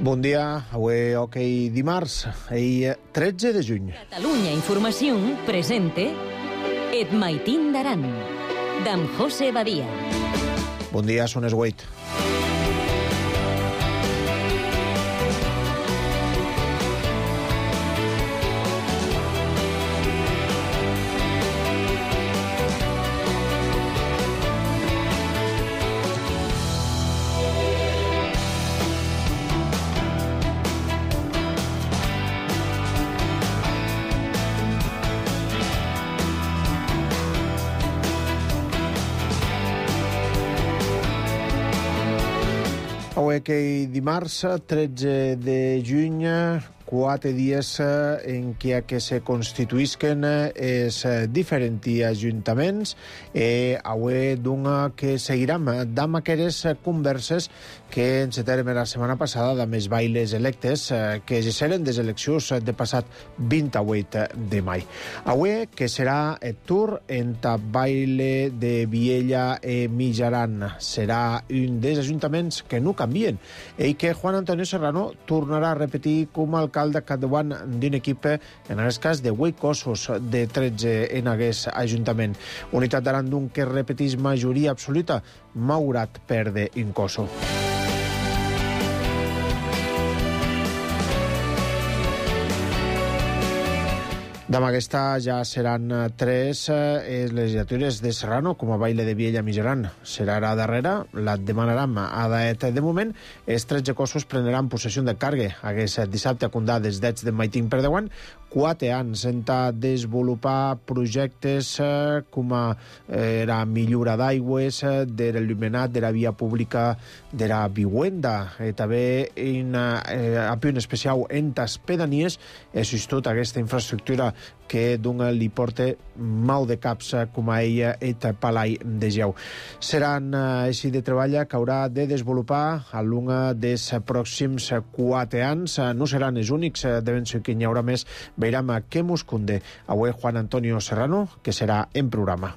Bon dia, avui dimarts, ahir 13 de juny. Catalunya Informació presente Et Maitín d'Aran, d'en José Badia. Bon dia, són les 8. Avui dimarts, 13 de juny, 4 dies en què se constituïsquen els diferents ajuntaments. Avui que seguirem amb aquestes converses que encetarem la setmana passada amb els bailes electes que seran les eleccions de passat 28 de mai. Avui que serà el tour entre baile de Viella i Mijaran. Serà un dels ajuntaments que no canvien i que Juan Antonio Serrano tornarà a repetir com a alcalde capdavant d'un equip, en aquest cas de 8 cossos de 13 en aquest ajuntament. Unitat d'Aran d'un que repetís majoria absoluta, malgrat perdre un cosso. Demà aquesta ja seran 3 les legislatures de Serrano com a baile de Viella Mijaran. Serà la darrera, la demanarem a Daet. De moment, els 13 cossos prendran possessió de cargue. Aquest dissabte a Condà des d'ets de Maitín per 10 anys, 4 anys en desenvolupar projectes com la millora d'aigües, de l'il·luminat, de la via pública, de la viuenda. També a punt especial en les pedanies, tot aquesta infraestructura que li porta mal de caps com a ella et Palai de Geu. Seran així de treball que haurà de desenvolupar a l'un dels pròxims 4 anys. No seran els únics, devem ser que n'hi haurà més. Veurem què mos conde avui Juan Antonio Serrano, que serà en programa.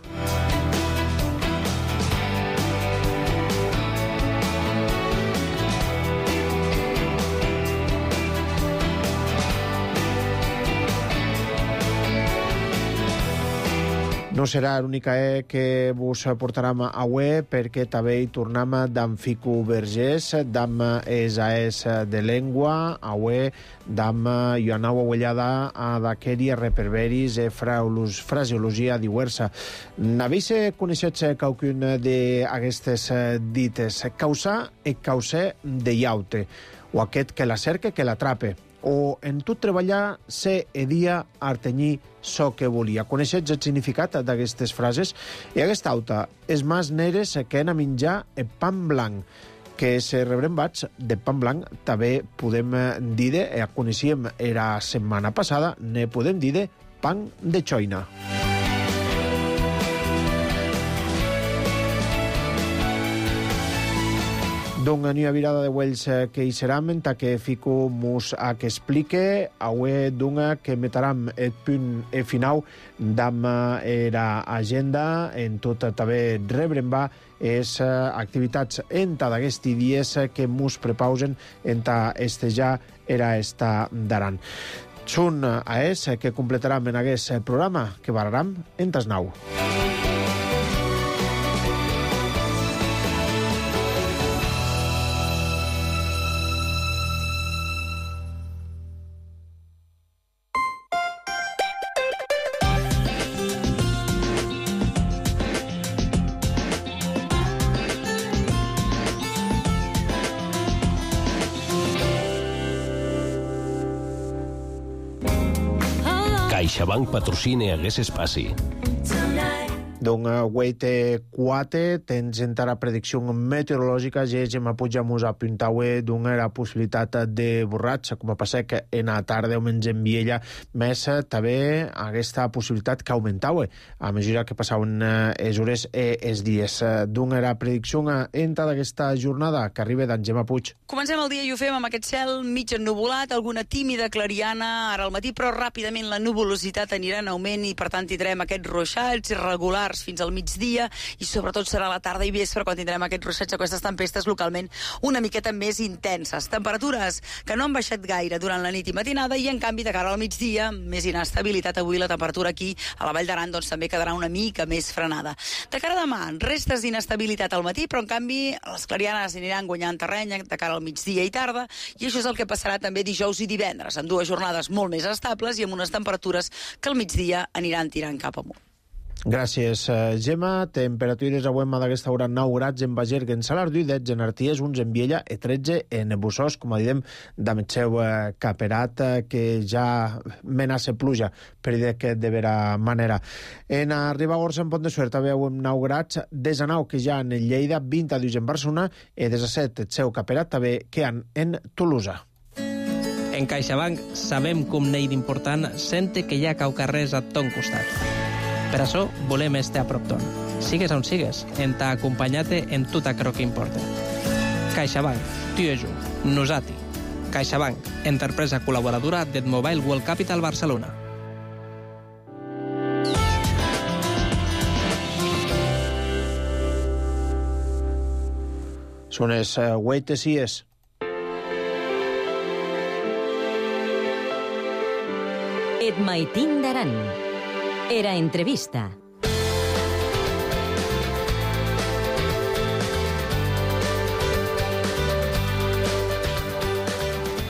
No serà l'única que vos portarem avui, perquè també hi tornem d'en Fico Vergés, d'en ESAES de Llengua, avui d'en Ioanau Aguellada d'aqueria reperberis e fraseologia diversa. N'habéis coneixet qualcun d'aquestes dites? Causar e causar de llaute, o aquest que la cerca que l'atrape, o en tot treballar ser e dia artenyir so que volia. Coneixets el significat d'aquestes frases? I aquesta auta, és més neres que han a menjar el pan blanc, que se rebrembats de pan blanc també podem dir, coneixíem la setmana passada, ne podem dir pan de xoina. Doncs n'hi ha virada de Wells que hi serà, mentre que Fico mos que explique avui que metarem el punt final d'am l'agenda en tot també rebrembar les activitats entre d'aquests dies que mos prepausen entre estejar era esta d'Aran. Són que completarem en aquest programa que barrarem entre els 9. CaixaBank patrocina aquest espai. Doncs avui 4 tens encara predicció meteorològica, ja hem pujat a apuntar la possibilitat de borratxa, com a passar que en la tarda o menys en Viella, més també aquesta possibilitat que augmentava a mesura que passaven les hores i els dies. Doncs la predicció entra d'aquesta jornada que arriba d'en Gemma Puig. Comencem el dia i ho fem amb aquest cel mig ennuvolat, alguna tímida clariana ara al matí, però ràpidament la nuvolositat anirà en augment i per tant tindrem aquests ruixats irregulars quarts fins al migdia, i sobretot serà a la tarda i vespre quan tindrem aquest ruixats, aquestes tempestes localment una miqueta més intenses. Temperatures que no han baixat gaire durant la nit i matinada, i en canvi de cara al migdia més inestabilitat. Avui la temperatura aquí a la Vall d'Aran doncs també quedarà una mica més frenada. De cara a demà, restes d'inestabilitat al matí, però en canvi les clarianes aniran guanyant terreny de cara al migdia i tarda, i això és el que passarà també dijous i divendres, amb dues jornades molt més estables i amb unes temperatures que al migdia aniran tirant cap amunt. Gràcies, Gemma. Temperatures avui d'aquesta hora 9 grads en Bagergue, en Salardú, 10 en Arties, 11 en Viella i 13 en Bussós, com a diem, amb el seu caperat, que ja menaça pluja, per dir que de vera manera. En Ribagorça, en Pont de Suert, veu 9 grads, 19 que ja en Lleida, 20 a 2 en Barcelona, i 17 el seu caperat també que han en Tolosa. En CaixaBank sabem com n'hi d'important sente que hi ha caucarrers a ton costat. Per això volem estar a prop ton. Sigues on sigues, en t'ha acompanyat en tot aquello que importa. CaixaBank, tu i jo, nosati. CaixaBank, empresa col·laboradora del Mobile World Capital Barcelona. Són les 8:06. Et maitin d'Aran. Era entrevista.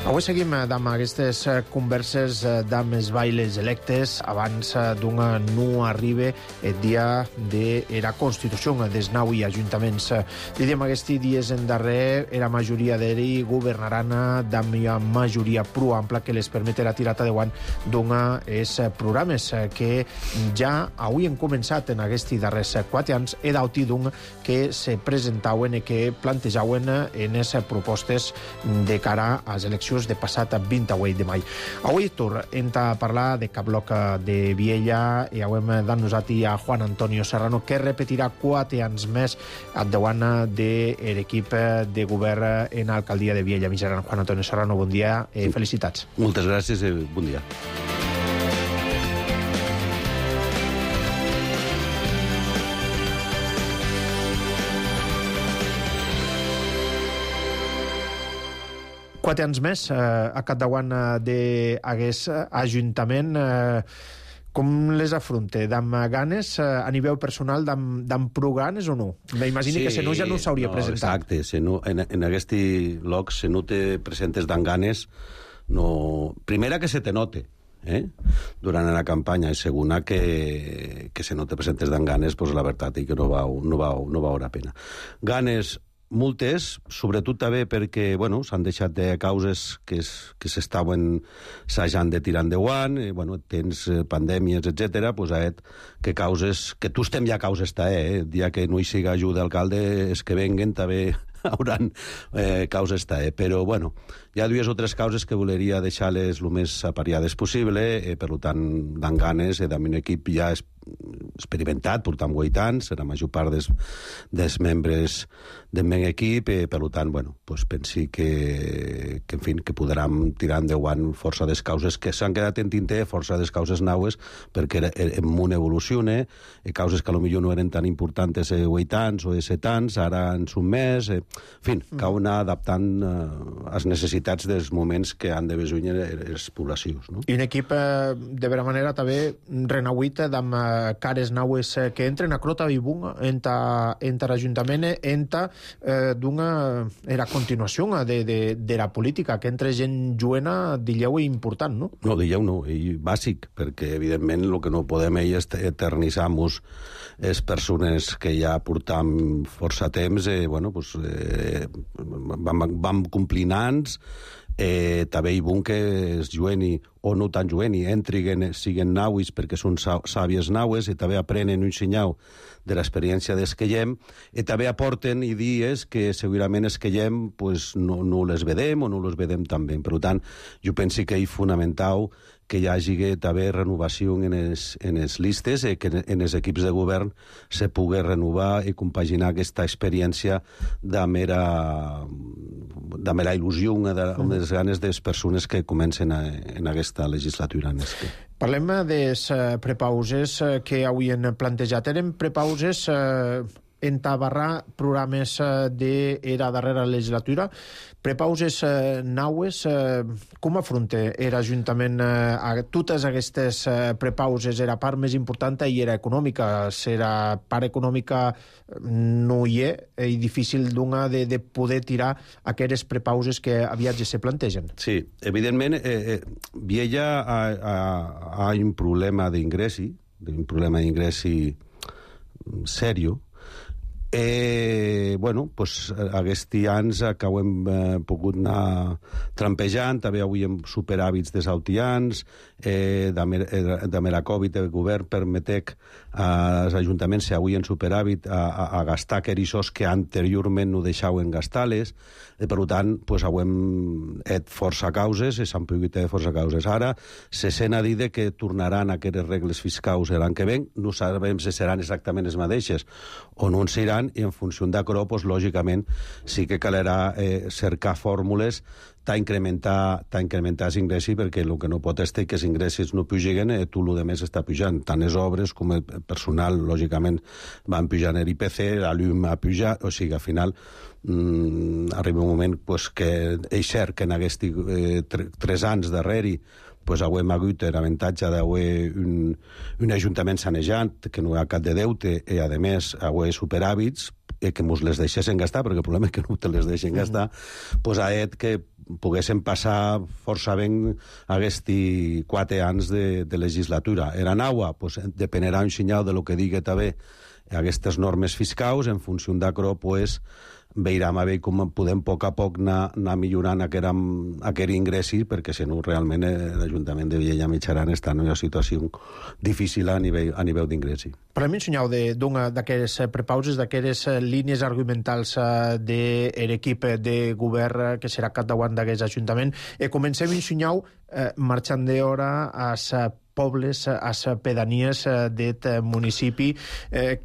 Avui seguim amb aquestes converses amb els bailes electes abans d'un no arribe el dia de la Constitució dels 9 ajuntaments. Diem aquests dies en darrer la majoria d'ells governaran amb una majoria prou ampla que les permetrà tirar endavant d'uns programes que ja avui han començat en aquests darrers 4 anys i d'autí d'un que se presentaven i que plantejaven en les propostes de cara a les eleccions de passat 28 de maig. Avui tornem a parlar de cap bloc de Viella i hem d'annosat a Juan Antonio Serrano, que repetirà 4 anys més davant de l'equip de govern en l'alcaldia de Viella Mitjaran. Juan Antonio Serrano, bon dia i felicitats. Moltes gràcies i bon dia. Quatre anys més a capdavant d'aquest ajuntament. Com les afronta? Amb ganes, a nivell personal, amb prou ganes o no? M'imagino que si no ja no s'hauria presentat. Exacte, en aquest lloc se no te presentes d'en ganes, no... Primera que se te note, durant la campanya, i segona que si no te presentes d'en ganes, pues la veritat és que no val la pena. Ganes multes, sobretot també perquè s'han deixat de causes que s'estaven assajant de tirar endavant, tens pandèmies, etc. Que causes, que tu estem ja causes el dia que no hi siga ajuda d'alcalde, és que venguen també hauran causes però hi ha 2 o 3 causes que voleria deixar-les el més apariades possible, per tant, d'en ganes, amb un equip ja experimentat, portant 8 anys, la major part dels membres del meu equip, per tant, pensi que en fi, que podrem tirar endavant força des causes que s'han quedat en tinter, força des causes naues, perquè el món evoluciona, causes que potser no eren tan importants 8 anys o 7 anys, ara en són més, en fi, cal anar adaptant les necessitats dels moments que han de besuir les poblacions. I un equip, de vera manera, també renauït amb cares naues que entren a Crota i Bunga entre l'Ajuntament, era continuació de la política, que entre gent joena, dilleu, important, no? No, dilleu no, i bàsic, perquè evidentment el que no podem és eternitzar-nos les persones que ja portam força temps, vam complint anys, també hi bon que es jueni o no tan jueni, entriguen, siguen nauis perquè són sàvies naues i també aprenen un senyal de l'experiència des que llem, i també aporten idees que segurament es que llem no les vedem o no les vedem tan bé. Per tant, jo penso que és fonamental que hi hagi també renovació en les listes i que en els equips de govern se pugui renovar i compaginar aquesta experiència de mera dame la il·lusió, una de les ganes de les persones que comencen en aquesta legislatura. Parlem de les prepauses que avui han plantejat. Eren prepauses entabarrar programes d'era darrera legislatura, prepauses naues. Com afronta l'Ajuntament a totes aquestes prepauses? Era part més important i era econòmica. Era part econòmica no hi és difícil de poder tirar aquestes prepauses que aviat ja se plantegen. Sí, evidentment, Viella ha un problema d'ingressi, serio. Bueno, pues aquests anys que ho hem pogut anar trampejant, també avui hem superàvits de sautians, de la Covid el govern permetec als ajuntaments, si avui en superàvit, a gastar aquells que anteriorment no deixaven gastar-les. Per tant, pues, avui hem fet força causes, s'han pogut fer força causes. Ara se sent a dir que tornaran aquestes regles fiscals l'any que ven, no sabem si seran exactament les mateixes o no en seran, i en funció d'això, pues, lògicament, sí que calerà cercar fórmules d'incrementar els ingressos, perquè el que no pot estar que els ingressos no pugin, tot el que més està pujant. Tant les obres com el personal, lògicament, van pujant l'IPC, la llum ha pujat, o sigui, al final arriba un moment pues, que és cert que en aquests 3 anys darrere pues, hem hagut l'avantatge d'haver un ajuntament sanejant, que no hi ha cap de deute, i a més haver superàvits, que ens les deixessin gastar, perquè el problema és que no te les deixen gastar, pues, ha fet que poguéssim passar força ben aquests 4 anys de legislatura. Era nova, pues, dependerà un senyal de lo que digui també aquestes normes fiscals. En funció d'això, pues, veurem a veure com podem a poc anar millorant aquest ingressi, perquè si no realment l'Ajuntament de Viella Mitjaran està en una situació difícil a nivell d'ingressi. Parlem, senyor, d'una d'aquestes prepauses, d'aquestes línies argumentals de l'equip de govern que serà capdavant d'aquest Ajuntament. Comencem, senyor, marxant d'hora a pobles, a les pedanies d'aquest municipi,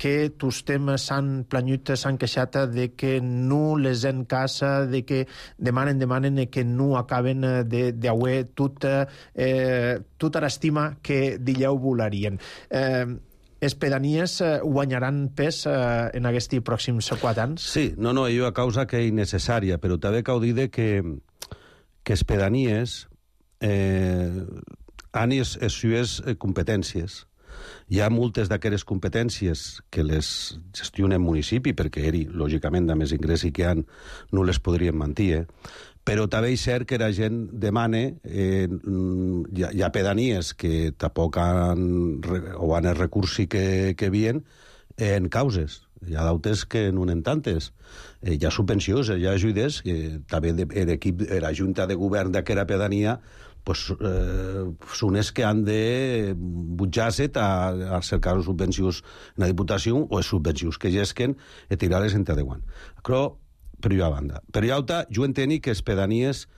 que tots temes s'han planyut, s'han queixat de que no les en casa, de que demanen que no acaben d'haver tota l'estima que d'elleu volarien. Les pedanies guanyaran pes en aquests pròxims 4 anys? Sí, no, és una causa que és innecessària, però també cal dir que les pedanies han les seues competències. Hi ha moltes d'aquestes competències que les gestiona el municipi, perquè lògicament, a més ingressi que han, no les podrien mantenir, però també és cert que la gent demana, hi ha pedanies que tampoc han el recurs que havien en causes. Hi ha d'altres que no en tantes. Hi ha subvencions, hi ha ajudes, també l'equip, la Junta de Govern d'aquesta pedania, són els que han de butjar-se a cercar subvencions en la Diputació o les subvencions que gesquen i tirar-les entre adequant. Però, per una banda. Per l'altra, jo entenc que les pedanies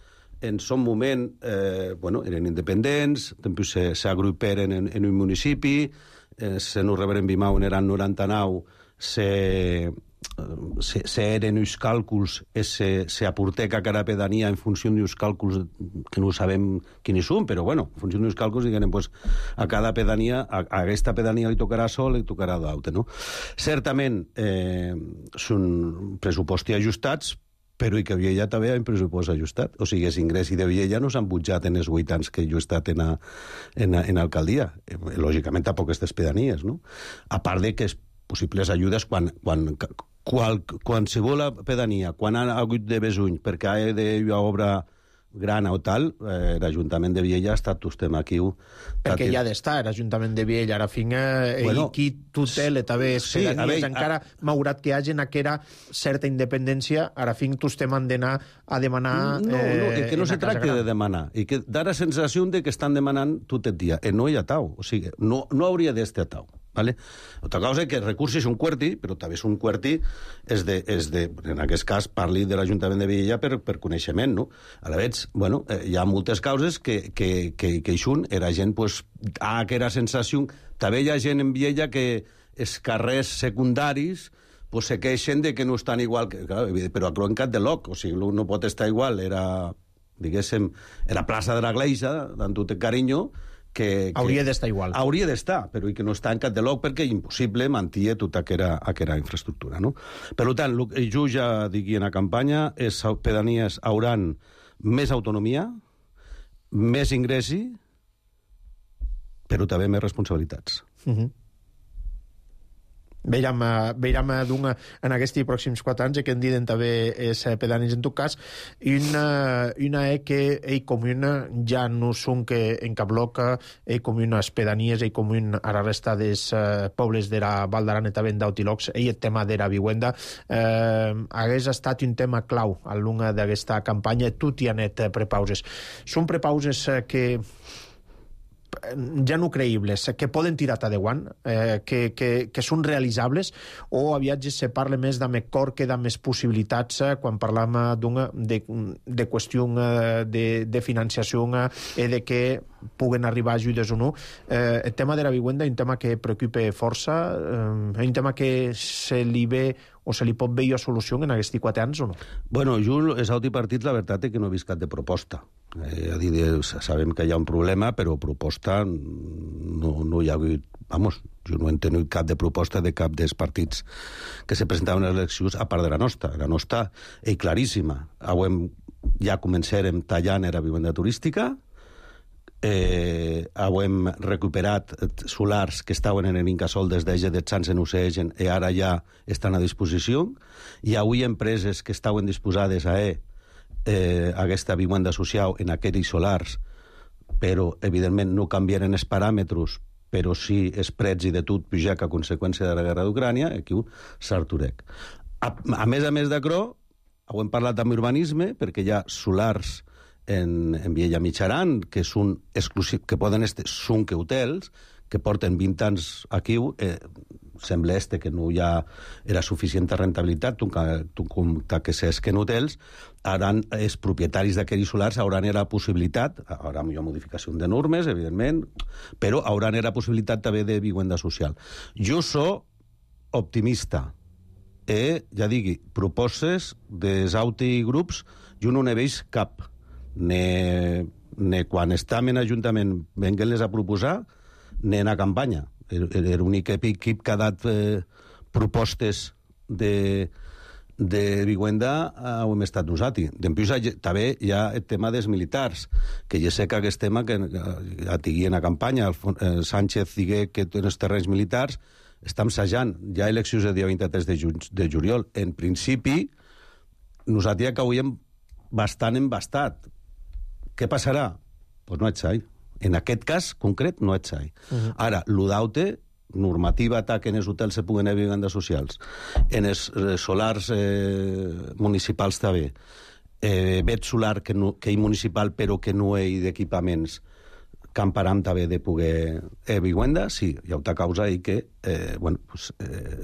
en son moment eren independents, després s'agruperen en un municipi, se no reberen Bimau eren 99, eren uns càlculs, s'aporteca cada pedania en funció d'uns càlculs que no sabem quins són, però en funció d'uns càlculs diguem, a cada pedania, a aquesta pedania li tocarà sol, li tocarà d'altre, no? Certament són pressupostos ajustats, però i que Viella també ha un pressupost ajustat. O sigui, els ingressos de Viella no s'han pujat en els 8 anys que jo he estat en alcaldia. Lògicament, tampoc aquestes pedanies, no? A part de que possibles ajudes qualsevol pedania, quan ha hagut de besuny perquè ha d'una obra gran o tal, l'Ajuntament de Viella ha estat tostem aquí. Perquè hi ha d'estar l'Ajuntament de Viella, ara fin qui tutela també pedanies, encara malgrat que hi hagi aquella certa independència, ara fin tostem han d'anar a demanar... No, que no se tracta de demanar, i que da la sensació de que estan demanant tot el dia, no hi ha tau, o sigui, no hauria d'estar tau. Vale? Altra cosa és que els recursos són QWERTY, però també és un QWERTY en aquest cas parli de l'Ajuntament de Viella per coneixement, no? A la vegada, hi ha moltes causes que hi són, la gent ha aquella sensació, també hi ha gent en Viella que els carrers secundaris pues se queixen de que no estan igual, però a Cloencat de Loc, o sigui, no pot estar igual, era, diguéssim, era plaça de la Gleixa, amb tot el carinyo, que hauria d'estar igual. Hauria d'estar, però que no està en Cat de Loc perquè impossible mantenir tota aquella infraestructura, no? Per tant, jo ja digui en la campanya, les pedanies hauran més autonomia, més ingressi, però també més responsabilitats. Veiem en aquests pròxims 4 anys que en diuen també els pedanis en tot cas una que ell comuna ja no són que en cap bloc ell comuna les pedanies, ell comuna a la resta dels pobles de la Val d'Aran i també d'Autilocs, ell el tema de la vivienda hagués estat un tema clau a l'una d'aquesta campanya. Tu t'hi anet prepauses. Són prepauses que ja no creïbles, que poden tirar a deuant, que són realitzables, o aviat se parla més de cor que de més possibilitats quan parlam de qüestió de financiació i de que puguen arribar ajudes o no. El tema de la vivienda és un tema que preocupa força, és un tema que se li ve o se li pot veure solució en aquests 4 anys o no? Bueno, jo, els autopartits, la veritat és que no he vist cap de proposta. Sabem que hi ha un problema, però proposta no hi ha hagut... Vamos, jo no he entenut cap de proposta de cap dels partits que se presentaven a les eleccions, a part de la nostra. La nostra és claríssima. Ja començarem tallant la vivenda turística, hem recuperat solars que estaven en l'Incasol des d'Ege de Sants en Ucegen i ara ja estan a disposició. Hi ha avui empreses que estaven disposades a aquesta vivenda social en aquells solars, però evidentment no canviaren els paràmetres, però sí els prets i de tot pujar a conseqüència de la guerra d'Ucrània, aquí s'arturec. A més d'això, hem parlat amb urbanisme, perquè hi ha solars en Viella Mitjaran, que són exclusius, que poden estar, són que hotels, que porten 20 anys aquí, sembla que no hi ha era suficient rentabilitat, que s'esquen hotels, els propietaris d'aquells solars hauran la possibilitat, haurà millor modificació de normes, evidentment, però hauran la possibilitat també de vivenda social. Jo soc optimista, ja digui, proposes dels autigrups, jo no n'he vist cap, ne quan estàvem en Ajuntament venguent-les a proposar, ne en la campanya. L'únic equip que ha dat propostes de vivenda ho hem estat nosaltres. Després també hi ha el tema dels militars, que ja sé que aquest tema que ja tingui en la campanya, Sánchez digué que en els terrenys militars està ensajant. Hi ha eleccions el dia 23 de juliol. En principi, nosaltres que hauríem bastant embastat. Què passarà? Doncs no ets sai. En aquest cas concret no ets sai. Ara, l'UDAUTE, normativa que en els hotels se puguen haver vivendes socials, en els solars municipals també, vet solar que hi municipal però que no hi d'equipaments, camparam també de poder vivenda, sí, hi ha una causa i que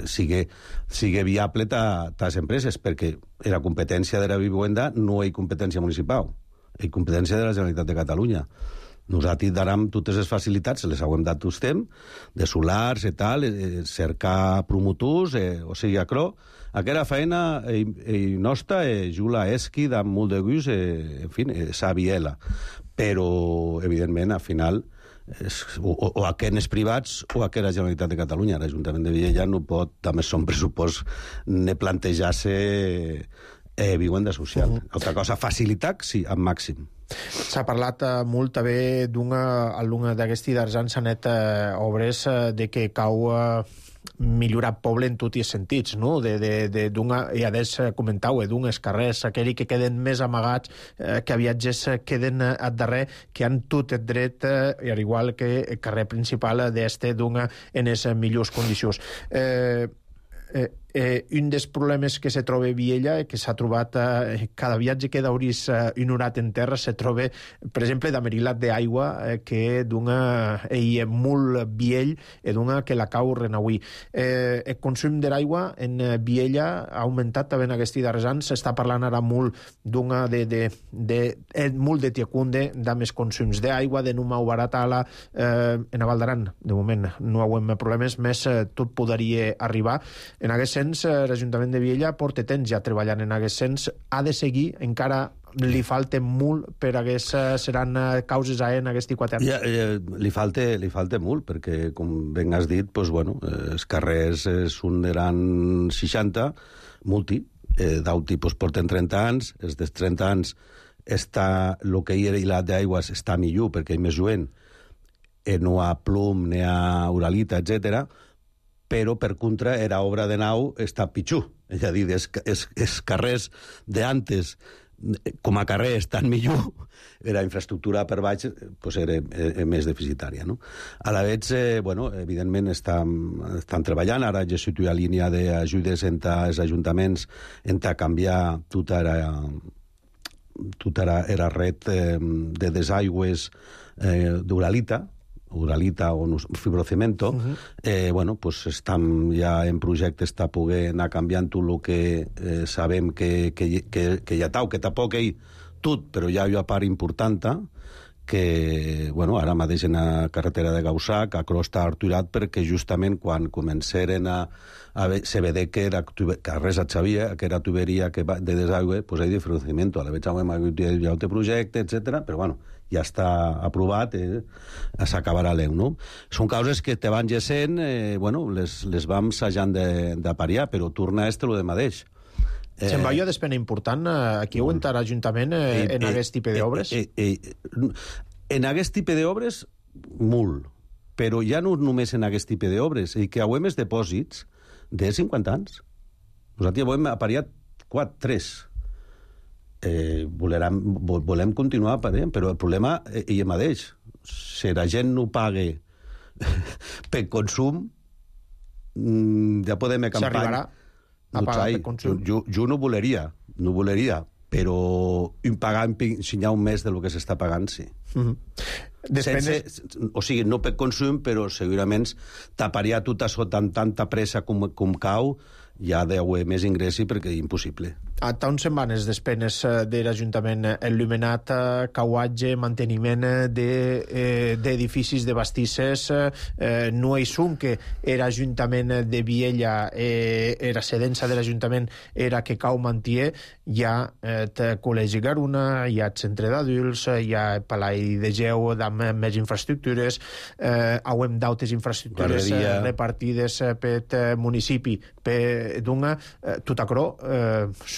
sigui viable a les empreses, perquè la competència de la vivenda no hi competència municipal, hi competència de la Generalitat de Catalunya. Nosaltres darem totes les facilitats, les hem dat vostè, de solars i tal, cercar promotors, o sigui, aquella feina nostra, Jula Esqui, amb molt de gust, en fi, Sabiela. Però, evidentment, al final, o aquells privats o aquella Generalitat de Catalunya. L'Ajuntament de Viella no pot, també son pressupost, ne plantejar-se vivenda social. Altra cosa, facilitat, sí, al màxim. S'ha parlat molt també d'una d'aquests d'argents anet obres de que cau millorar el poble en tots els sentits, no? I adés comentau, d'uns carrers, aquells que queden més amagats, que viatges queden al darrer, que han tot el dret, al igual que el carrer principal d'este en les millors condicions. Un dels problemes que se troba a Viella, que s'ha trobat cada viatge que d'hauris ignorat en terra, se troba, per exemple, d'amerilat d'aigua, que és molt viell i que la cau renauí. El consum de l'aigua en Viella ha augmentat també en aquests darrers anys. S'està parlant ara molt molt de tiacunde, de més consums d'aigua, de no mau baratala. En la Val d'Aran, de moment, no hi ha problemes, més tot podria arribar. En aquest sens, l'Ajuntament de Viella porta temps ja treballant en aquest sens, ha de seguir, encara li falta molt per seran causes en aquest 4 anys. Li falta molt, perquè, com ben has dit, els carrers eran 60, multi, d'auti porten 30 anys, els dels 30 anys el que hi era hilat d'aigües està millor, perquè hi ha més lluent, no hi ha plom, ni hi ha uralita, etc. Però, per contra, era obra de nau està pitjor. És a dir, els carrers d'antes, com a carrer estan millor, la infraestructura per baix era més deficitària. A la vegada, evidentment, estan treballant. Ara ja s'hi ha línia d'ajudes entre els ajuntaments a canviar tota la red de desaigües d'uralita o fibrocemento, estan ja en projectes de poder anar canviant tot el que sabem que hi ha tau, que tampoc hi tot, però hi ha una part important que, ara mateix en la carretera de Gaussac, a Crosta Arturat, perquè justament quan començaren se vede que res et sabia, que era tuberia de desaigüe, hi ha diferenciament, a la vegada hem hagut ja un projecte, etc. però ja està aprovat, s'acabarà l'eu, no? Són causes que te van gessent, les vam assajant de pariar, però torna a lo de mateix. Se'n va jo despena important, aquí ho entra l'Ajuntament en aquest tipus d'obres? En aquest tipus d'obres, molt, però ja no només en aquest tipus d'obres, i que hauem els depòsits de 50 anys. Nosaltres hem apariat 3. Volem continuar aparent, però el problema és el mateix. Si la gent no paga per consum, ja podem campanya. S'arribarà a pagar per consum? Jo no voleria, però pagar si hi ha un mes del que s'està pagant, sí. O sigui, no per consum, però segurament taparia tot això amb tanta pressa com cau, ja deu més ingressi perquè és impossible. A on se'n van les despenes de l'Ajuntament? Il·luminat, cauatge, manteniment d'edificis de bastisses, no hi som que l'Ajuntament de Viella, la cedença de l'Ajuntament era que cau mantier, hi ha el Col·legi Garuna, hi ha el centre d'adults, hi ha el Palai de Geu amb més infraestructures, hauem d'altres infraestructures repartides per municipi, tot això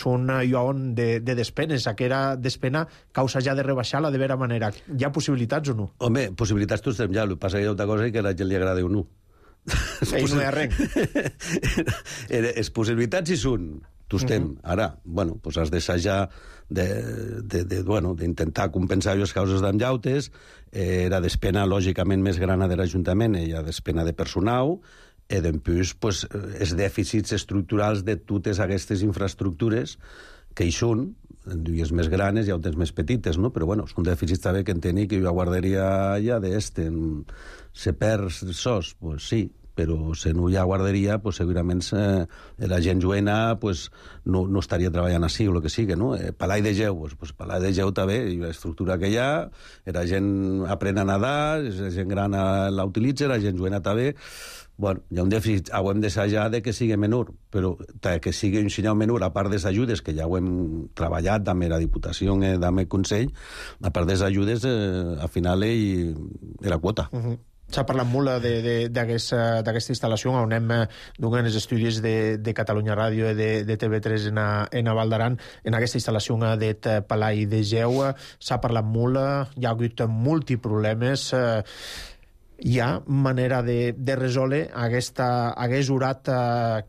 són llon de despenes. Aquella despena causa ja de rebaixar-la de vera manera. Hi ha possibilitats o no? Home, possibilitats tots ja. El que passa que hi ha una cosa que a la gent li agrada o no. I no hi ha res. Les possibilitats hi són. Tu estem. Ara, has d'assajar d'intentar compensar les causes d'enllautes. La despena, lògicament, més grana de l'Ajuntament hi ha despena de personal, i després els dèficits estructurals de totes aquestes infraestructures que hi són, dues més grans i altres més petites, no? Però són dèficits també que en tenir que jo guarderia ja se perd sos, sí, però si no hi ha guarderia, segurament la gent joena no estaria treballant així o el que sigui, no? Palai de Geu, Palai de Geu també, l'estructura que hi ha, la gent aprèn a nedar, la gent gran la utilitza, la gent joena també. Hi ha un dèficit, hem d'assajar que sigui menor, però que sigui un senyal menor, a part de les ajudes, que ja ho hem treballat amb la Diputació, amb el Consell, a part de les ajudes, al final és la quota. S'ha parlat molt d'aquesta instal·lació on anem donant els estudis de Catalunya Ràdio i de TV3 en Val d'Aran, en aquesta instal·lació del Palai de Geu. S'ha parlat molt, hi ha hagut multiproblemes. Hi ha manera de resoldre aquest urat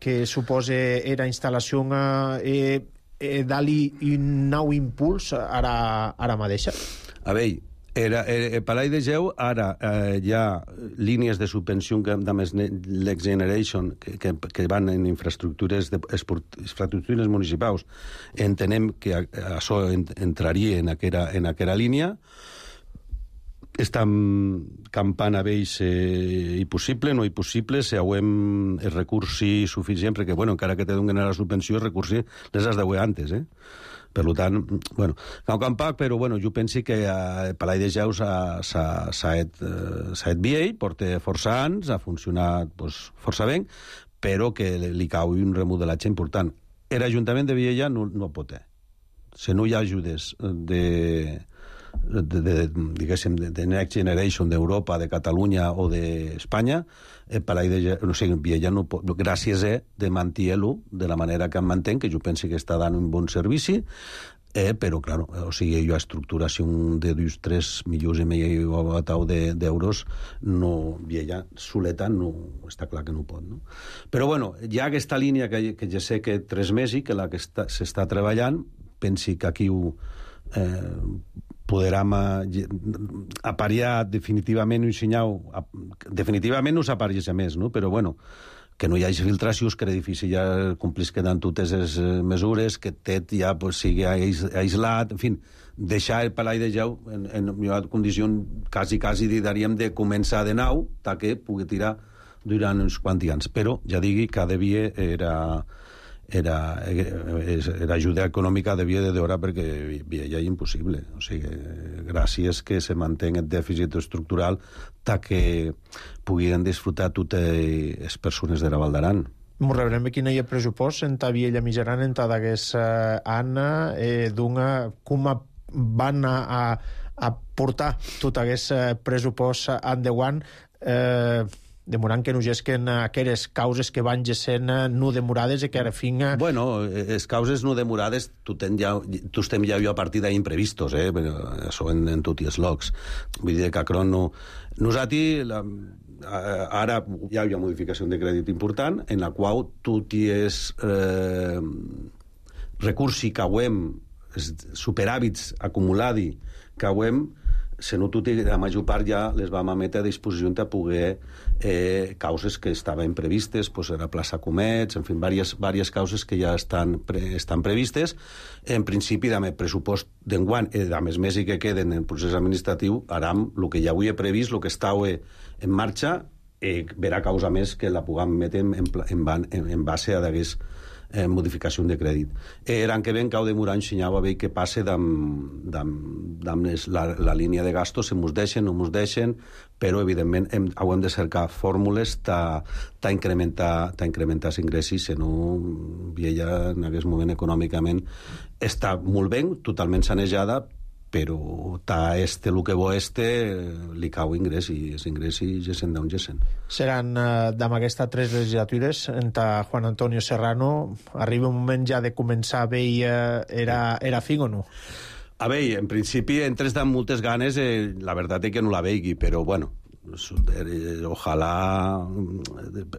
que suposa la instal·lació dar-li un nou impuls ara mateixa? A veure, el Palai de Geu ara hi ha línies de subvenció de Next Generation que van en infraestructures municipals. Entenem que això entraria en aquella línia. Estem campant a vells impossible, no impossible, si hauem el recursi suficient, perquè, encara que te donen la subvenció, el recursi les has d'haver antes, Per tant, cau campat, però jo penso que el Palai de Geu s'ha fet bé, porta força anys, ha funcionat força bé, però que li cau un remodelatge important. L'Ajuntament de Viella no pot. Si no hi ha ajudes diguéssim, de Next Generation d'Europa, de Catalunya o d'Espanya, Viella no pot, gràcies de mantenir-lo de la manera que em mantén, que jo penso que està dant un bon servici, però, clar, o sigui, hi ha estructuració de 2-3 milions i mig d'euros, no, Viella soleta no, està clar que no pot, no? Però, bueno, hi ha aquesta línia que ja sé que 3 mesos, que la que s'està treballant, pensi que aquí podrem apariar definitivament un senyal, definitivament no s'apareix més, no? Però, bueno, que no hi hagi filtracions, que l'edifici ja complís quedant totes les mesures, que tot ja sigui aïslat, en fi, deixar el Palau de Jau en una condició quasi diríem de començar de nou, que pugui tirar durant uns quants anys. Però, ja digui, cada dia era ajuda econòmica devia de deure perquè ja és impossible. O sigui, gràcies que se manté el dèficit estructural que puguin disfrutar totes les persones de la Val d'Aran. M'ho rebrem quin hi ha pressupost en ta Viella Mijaran en ta d'aquest any com van a portar tot aquest pressupost endavant demorant que no gesquen aquelles causes que van gessent no demorades i que ara fin... Bueno, les causes no demorades tu estem ja a partir d'imprevistos, però això en tots els llocs. Vull dir que Acron no... Nosaltres, ara hi ha una modificació de crèdit important en la qual tots els recursos que hauem, superàvits acumulats que hauem, la major part ja les vam emetre a disposició de poder causes que estaven previstes, la plaça Comets, en fi, diverses causes que ja estan previstes. En principi, amb el pressupost d'enguany, amb els mesos que queden en el procés administratiu, aram el que ja avui he previst, el que està en marxa, verà causa més que la puguem emetre en base a d'aquest modificació de crèdit. L'any que ven cau demorar ensenyava bé què passa amb la línia de gastos, si mos deixen o no mos deixen, però evidentment hem de cercar fórmules d'incrementar els ingressos, si no Viella en aquest moment econòmicament està molt ben, totalment sanejada, però el que bo li cau ingrés i els ingressos gessen d'on gessen. Seran d'amb aquestes 3 legislatures entre Juan Antonio Serrano arriba un moment ja de començar a veure era fin o no? A veure, en principi entres amb moltes ganes, la veritat és que no la veigui, però bueno, ojalà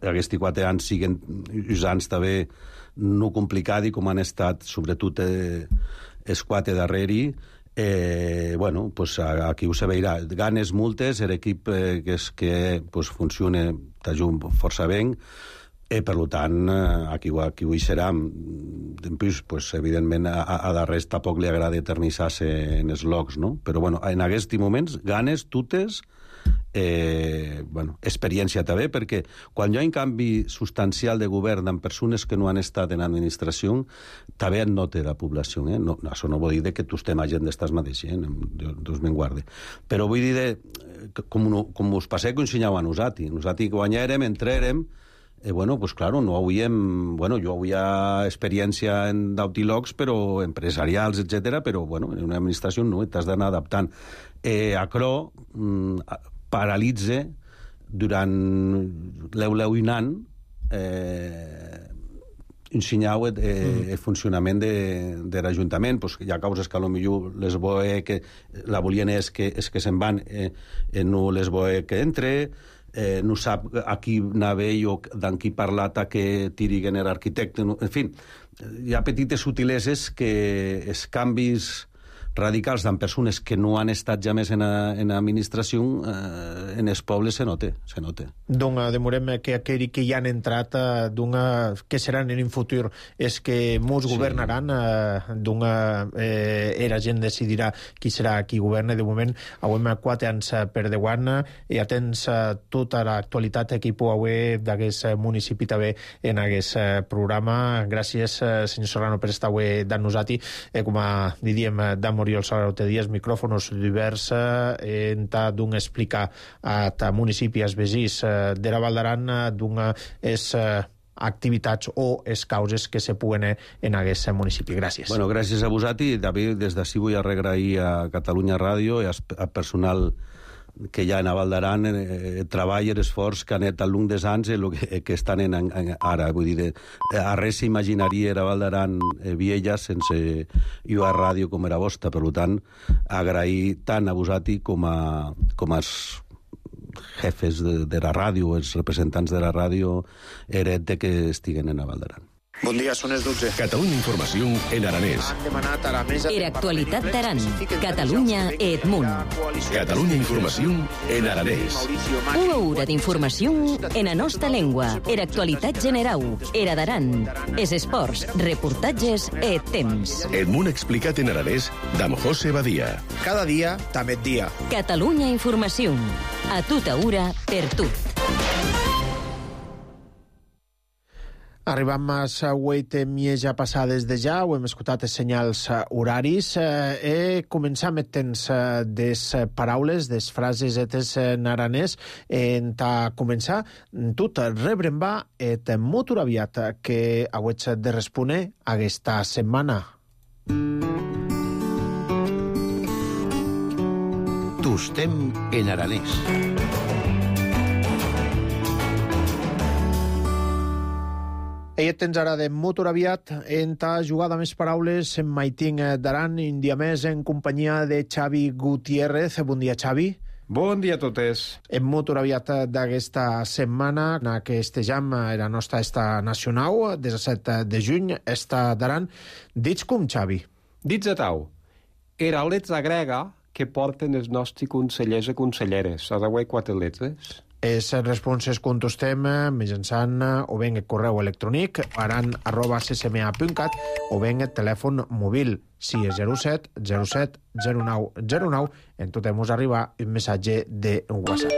aquests 4 anys siguin uns anys també no complicats com han estat sobretot els 4 darreri. Bueno, pues aquí ho se veurà. Ganes multes, l'equip que funciona t'ajunt força ben, per tant, aquí ho hi serà. En plus, evidentment, a darrere tampoc li agrada eternitzar-se en els llocs, no? Però, bueno, en aquests moments, ganes totes, experiència també, perquè quan hi ha un canvi substancial de govern amb persones que no han estat en administració, també et nota la població. No, això no vol dir que tu estem a gent d'estàs mateix, Déu me'n guarde. Però vull dir, com us passeu que ensenyau a nosaltres. Nosaltres guanyarem, entrarem, pues claro, no hauríem... jo havia experiència en d'autilogs, però empresarials, etc. però, en una administració no, t'has d'anar adaptant. Acro paralitza durant un any ensenyau el funcionament de l'Ajuntament. Hi ha causes que potser les voe que la volien és que se'n van, no les voe que entre, no sap a qui anava o d'en qui parlat a que tiriguen l'arquitecte. En fi, hi ha petites sutileses que els canvis radicals d'en persones que no han estat ja més en administració en els pobles se nota. Donc, demorem que aquells que hi han entrat que seran en un futur és que molts governaran, la gent decidirà qui serà qui governa. De moment, hem 4 anys per davant i atents tota l'actualitat que hi pugui haver d'aquest municipi també en aquest programa. Gràcies, senyor Serrano, per estar avui amb nosaltres. Com diríem, Oriol Salarote Díaz, micròfonos diversos d'un explicar a municipis veïns de la Val d'Aran d'un és activitats o les causes que se puguen en aquest municipi. Gràcies. Bueno, gràcies a vosaltres. David, des d'ací vull agrair a Catalunya Ràdio i al personal que hi ha a Val d'Aran, treball i esforç que han fet al long dels anys que estan ara. Vull dir, a res s'imaginaria a Val d'Aran Viella sense UA Ràdio com era vostra. Per tant, agrair tant a vosaltres com als jefes de la ràdio, els representants de la ràdio, heret que estiguen a Val d'Aran. Bon dia, són les 12. Catalunya Informació en aranès. Han demanat a la mesa... Era actualitat d'Aran, Catalunya e Edmunt. Catalunya Informació en aranès. Una hora d'informació en la nostra llengua. Era actualitat general. Era d'Aran. Es esports, reportatges e temps. Edmunt explicat en aranès d'Am José Badia. Cada dia, també et dia. Catalunya Informació. A tota hora, per tu. Arribam a les 8:30 passades de ja, ho hem escoltat els senyals horaris. Començam el temps des paraules, des frases etes en aranès. A començar, tot rebrem va et molt aviat que hauets de respondre aquesta setmana. Tostem en aranès. Ella tens ara de molt aviat en ta jugada més paraules en Maitín d'Aran, un dia més en companyia de Xavi Gutiérrez. Bon dia, Xavi. Bon dia a totes. En molt aviat d'aquesta setmana, que estejam la nostra esta nacional, 17 de juny, esta d'Aran. Dits com, Xavi? Dits a tau, era letra grega que porten els nostres consellers i conselleres. A d'avui 4 letres. Les responses contestem mitjançant o bé el correu electrònic aran@ccma.cat o bé el telèfon mòbil 607 07 09 09. En tot mos arriba un missatge de WhatsApp.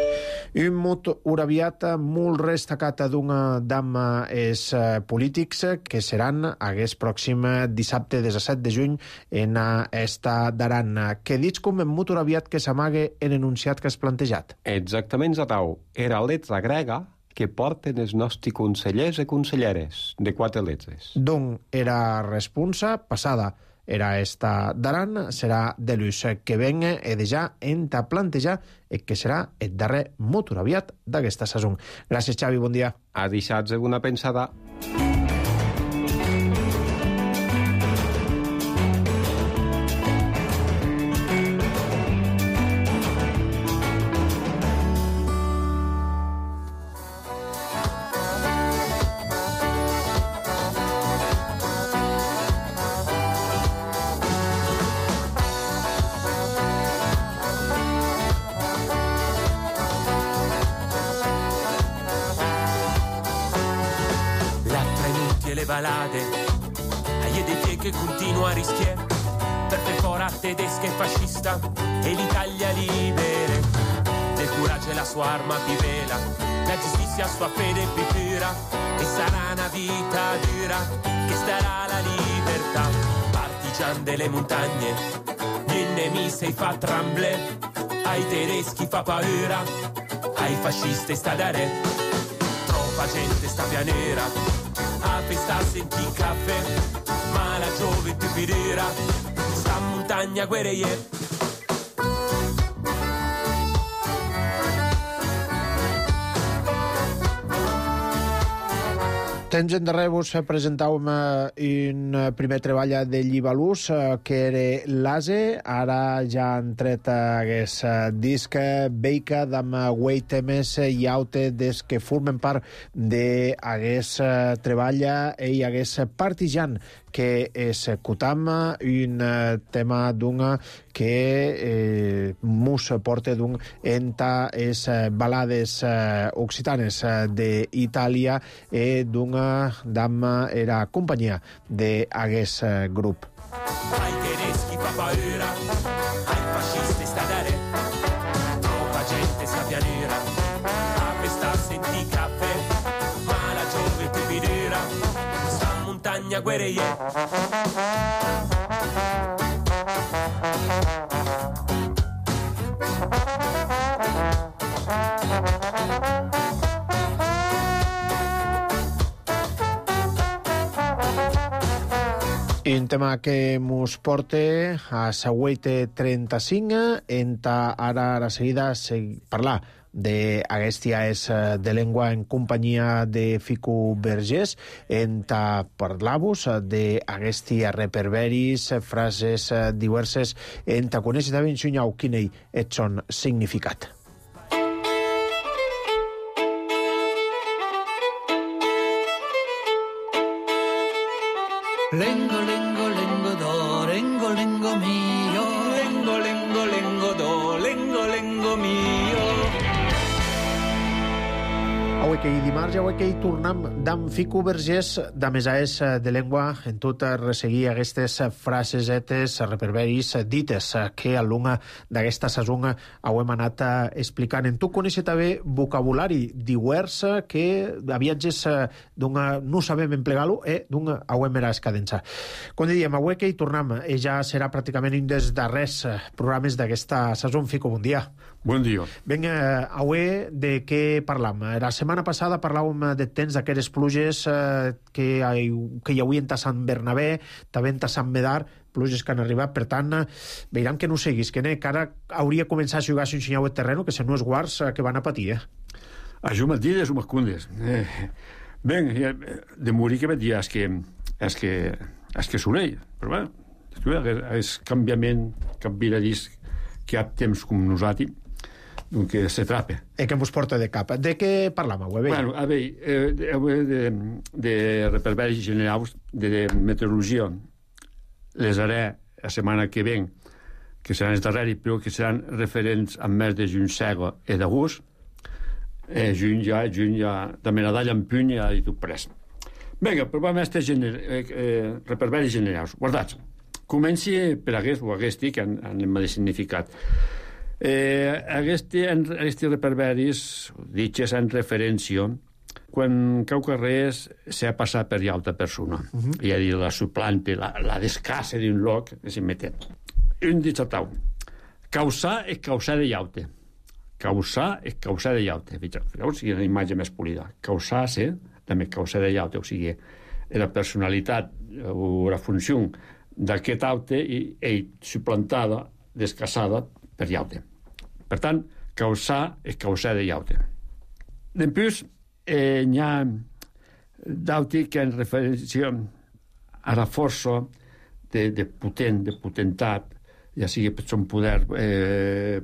Un mot aviat molt destacat d'una dama és polítics que seran aquest pròxim dissabte 17 de juny en esta d'Aran. Què dits com en mot aviat que s'amague en enunciat que has plantejat? Exactament, Zatau. Era letra grega que porten els nostres consellers i conselleres, de 4 letres. Doncs era responsa passada. Era esta d'Aran, serà de l'ús que venga e de ja enta plantejar que serà el darrer molt aviat d'aquesta saison. Gràcies, Xavi, bon dia. A deixar-vos una pensada. Che continua a rischiare per perforare tedesca e fascista e l'Italia libera del coraggio e la sua arma più vela, la giustizia sua fede più pura, che sarà una vita dura, che starà la libertà. Partigian delle montagne, gli nemici fa tremble, ai tedeschi fa paura, ai fascisti sta da re. Troppa gente sta pianera, a festa senti caffè, ma la gioventù pirera sta in montagna guerrier. Temps endarrere vos presentàvem un primer treball de Llibalús, que era l'ASE. Ara ja han tret aquest disc Beica d'am Weitemes i Aute des que formen part d'aquest treball i aquest Partijan que escutam, un tema d'una que mus porta d'un enta es balades occitanes d'Itàlia e d'una dama era companyia d'aquest grup. Ai tedeschi fa paura, ai fascisti sta da re, troppa gente sta pianera, a festa senti caffè, ma la gioventù pirera sta in montagna guerrier. I un tema que mos porta a Sagüete 35, enta ara a la seguida parlar d'aquestia és de llengua en companyia de Fico Vergés, enta parlar-vos d'aquestia reperberis, frases diverses, enta conèixer de ben xunyau quin és son significat. Lengo, lengo, lengo do, lengo, lengo mio. Lengo, lengo, lengo do, lengo, lengo mio. Avui que hi dimarts, avui que hi tornem d'en Fico Vergés, de mesaes de llengua, en tot resseguir aquestes frasesetes, reperberis dites que al long d'aquesta saison ho hem anat explicant. En tu coneixes també vocabulari divers que a viatges no sabem emplegar-lo d'un ho hem era escadença. Com diem, avui que hi tornem, ja serà pràcticament un dels darrers programes d'aquesta saison. Fico, bon dia. Bon dia. Ben, avui de què parlam? La setmana passada parlàvem de temps d'aquestes pluges que hi havia a Sant Bernabé, també a Sant Medar, pluges que han arribat, per tant, veiram que no seguís, que ara hauria començat a jugar un xinyau de terreno, que se no és guards que van a patir, Això m'ha dit, això m'escondes. Ben, de morir que vaig dir, és que sonell, però bé, és canviament, canviaradís, que hi ha temps com nosaltres, doncs se trapa. Que ens porta de cap. De què parlam avui? Bueno, a veure, de reperberis generals, de meteorologia, les haré la setmana que ven, que seran els darreris, però que seran referents a més de juny cega i d'agost. Juny ja, de Menadalla en puny i tot pres. Vinga, provem aquests reperberis generals. Guardats. Comenci per aquest o aquest, que anem de significat. Aquests reperberis ditxes en referència quan cau res s'ha passat per altra persona, i a dir, la suplante, la descassa d'un lloc que s'hi meten. Un dit tau, causar és causar de llaute. Causar és causar de llaute. O sigui, una imatge més polida. Causar-se, també causar de llaute, o sigui, la personalitat o la funció d'aquest aute és suplantada, descassada per llaute. Per tant, causar és causar de llaute. Després, hi ha d'aute que en referència a la força de potentat, ja sigui per son poder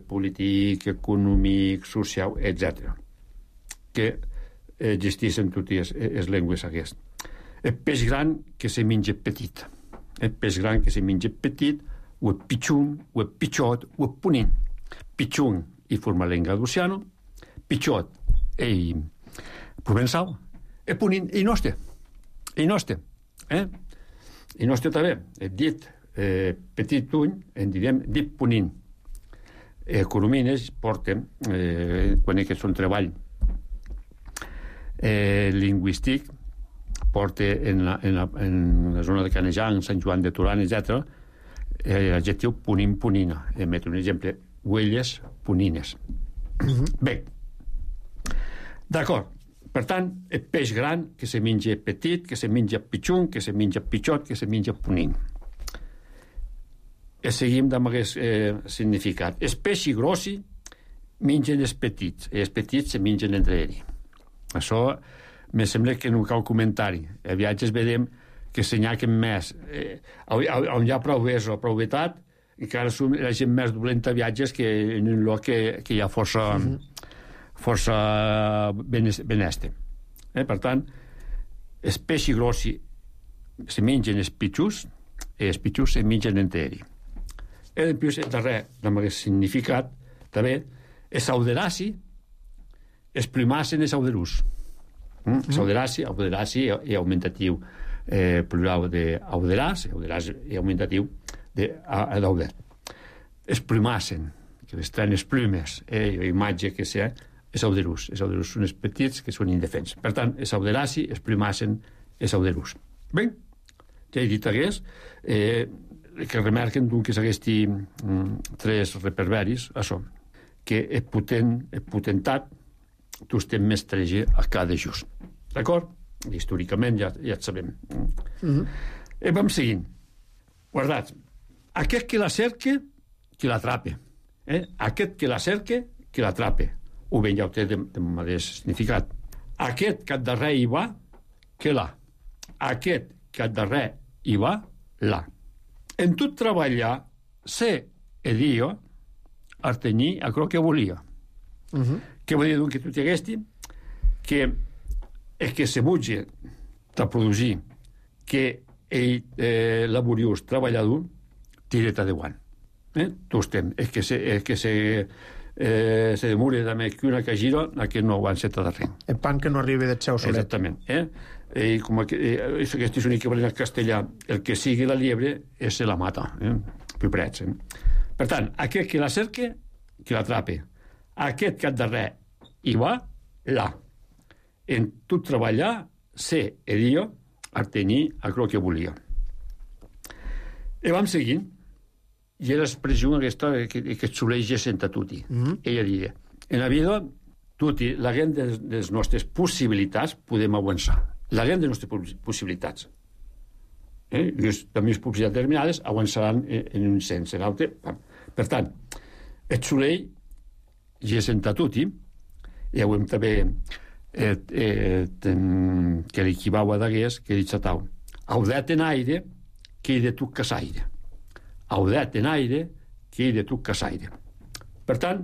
polític, econòmic, social, etc., que existeixen totes les llengües aquestes. El peix gran que se menja petit. El peix gran que se menja petit, o el pitxun, o el pitxot, o el punint. Pitxun i formalenga d'Oceano, pitxot i provençal, i punint i nostre. I nostre. I nostre també. He dit petit uny, en direm dit punint. Economines porten, quan és un treball lingüístic, porta en la zona de Canejan, Sant Joan de Torà, etc., l'adjectiu punint-punina. Emetre un exemple, huelles punines. Bé, d'acord. Per tant, el peix gran que se menja petit, que se menja pitxun, que se menja pitxot, que se menja punint. Seguim amb aquest significat. Els peixos grossi mengen els petits, i els petits se mengen entre ells. Això me sembla que no cal comentari. A viatges vedem que s'enyaquen més. On hi ha prou ves o prou vetat, encara som la gent més dolenta a viatges que en un lloc que hi ha força beneste. Per tant, els peixos grossi se mengen els pitxos i els pitxos se mengen entre ells. I després, el darrer, amb aquest significat, també, els auderaci, els primassen els auderús. Auderaci i augmentatiu plural d'auderàs, auderàs i augmentatiu d'auder. Els primassen, que les tenen les plumes, imatge que sea, els auderús. Els auderús són els petits que són indefens. Per tant, els auderaci, els primassen els auderús. Bé, ja he dit aquest, que remarquen que s'aguesti tres reperberis, això, que el potentat tu estem mestrege a cada just. D'acord? Històricament ja et sabem. Vam seguint. Guardats. Aquest que la cerque, que l'atrape. Aquest que la cerque, que l'atrape. O bé ja ho té de mateix significat. Aquest que al darrer hi va, que l'ha. Aquest que al darrer hi va, l'ha. En tot treballar, sé e dio, artenyir a quello que volia. Què vol dir que tu t'haguesti? Que és que se butge de produir que ell laboriós, treballador, tiret adeuant. Tu estem. És que se demora també que una que gira a que no avanceta de res. El pan que no arriba del seu solet. Exactament. Com aquest és un equivalent al castellà, el que sigui la liebre se la mata. Piprets. Per tant, aquest que la cerque, que l'atrape. Aquest que al darrer hi va, l'ha. En tot treballar, sé e dio, artenyir a quello que volia. I vam seguint, i era l'expressió aquesta que soleix sentar tutti. Ella diria, en la vida, tutti, la gent de les nostres possibilitats podem avançar. La gent de les nostres possibilitats. Les possibilitats determinades avançaran en un sens, en l'altre. Per tant, el solell ja sentar tutti, i ho hem també que l'equivau d'agués, que dit satau. Audet en aire, que hi de tu casaire. Audet en aire, que hi de tu casaire. Per tant,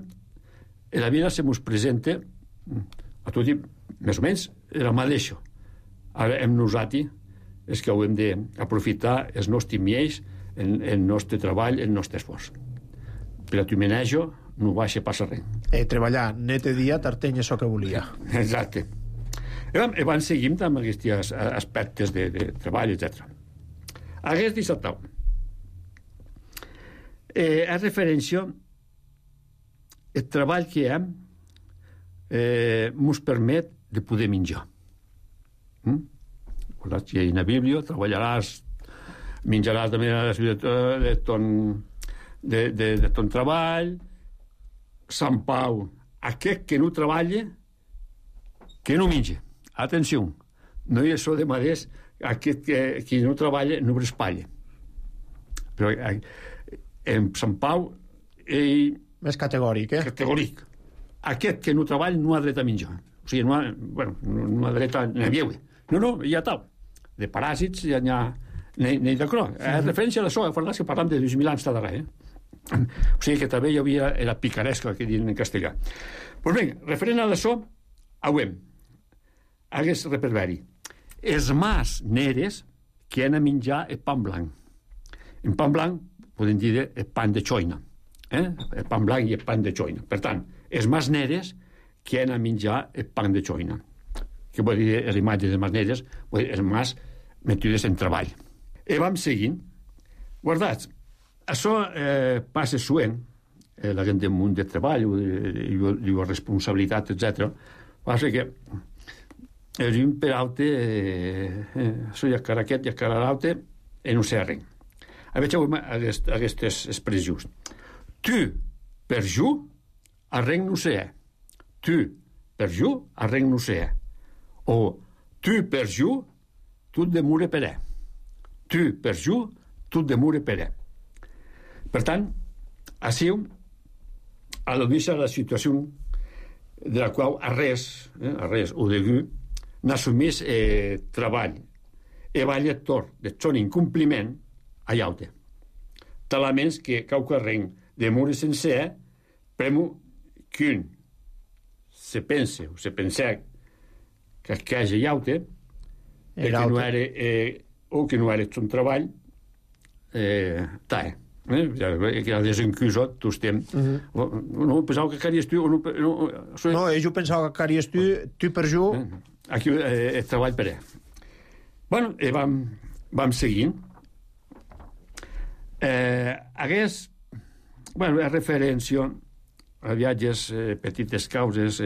en la vida se mos presenta a tutti, més o menys, el mateix. Ara hem nosati és que ho hem d'aprofitar els nostres miells, el nostre treball, el nostre esforç. Per a tu menejo no baixa passa res. Treballar net i dia t'artenya això que volia. Exacte. I van seguint amb aquests aspectes de treball, etc. Aquest dissabte és referència el treball que hem ens permet de poder menjar. Si en la Bíblia treballaràs, menjaràs de ton treball. Sant Pau, aquest que no treballa, que no menja. Atenció, no hi ha això de maders, aquest que no treballa no respalla. Però en Sant Pau, ell... Més categòric, Categòric. Aquest que no treballa no ha dret a menjar. O sigui, no ha dret a beure. No, ja tal. De paràsits ja n'hi ha... N'hi de cro. És referència a això, que parlam de 2.000 anys de darrere, O sigui que també hi havia la picaresca que diuen en castellà. Doncs bé, referent a això, auem hagués reperberi els mas neres que han a menjar el pan blanc. En pan blanc podem dir el pan de xoina, el pan blanc i el pan de xoina. Per tant, els mas neres que han a menjar el pan de xoina, que vol dir l'imatge de mas neres, els mas metides en treball. I vam seguint, guardats. Això passa suent, la gent del món de treball i la responsabilitat, etc. Passa que un per altre, això ja cara aquest, ja cara l'altre, i no sé res. A veure, aquestes expressions. Tu, per jo, arrenc no sé. Tu, per jo, arrenc no sé. O tu, per jo, tu demure per ell. Tu, per jo, tu demure per ell. Per tant, així, al·ludeix a la situació de la qual a res o de n'assumís treball e va lector de son incompliment a llaute. Talaments que caucarren de morir sencer premo qu'un se pense o se pensà que hagi llaute o que no era son treball tae. Que ha desencusat tu estem no pensava que caries tu no, jo pensava que caries tu per jo aquí el treball per ell. Bueno, vam seguint hagués referència a viatges, petites causes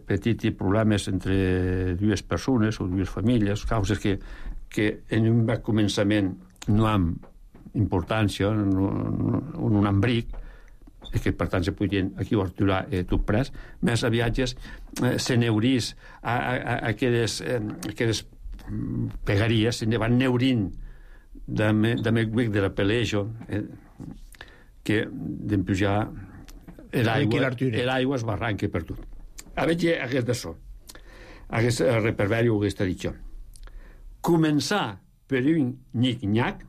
petits problemes entre dues persones o dues famílies, causes que en un començament no han importància, un embric, que per tant se podien aquí aturar tot pres, més a viatges se neurís a aquelles pegaries, se ne van neurint de l'appellation, que d'empujar l'aigua es barranca per tot. A veure, aquest d'això. Aquest reverberi o aquesta dicho. Començar per un nic-nyac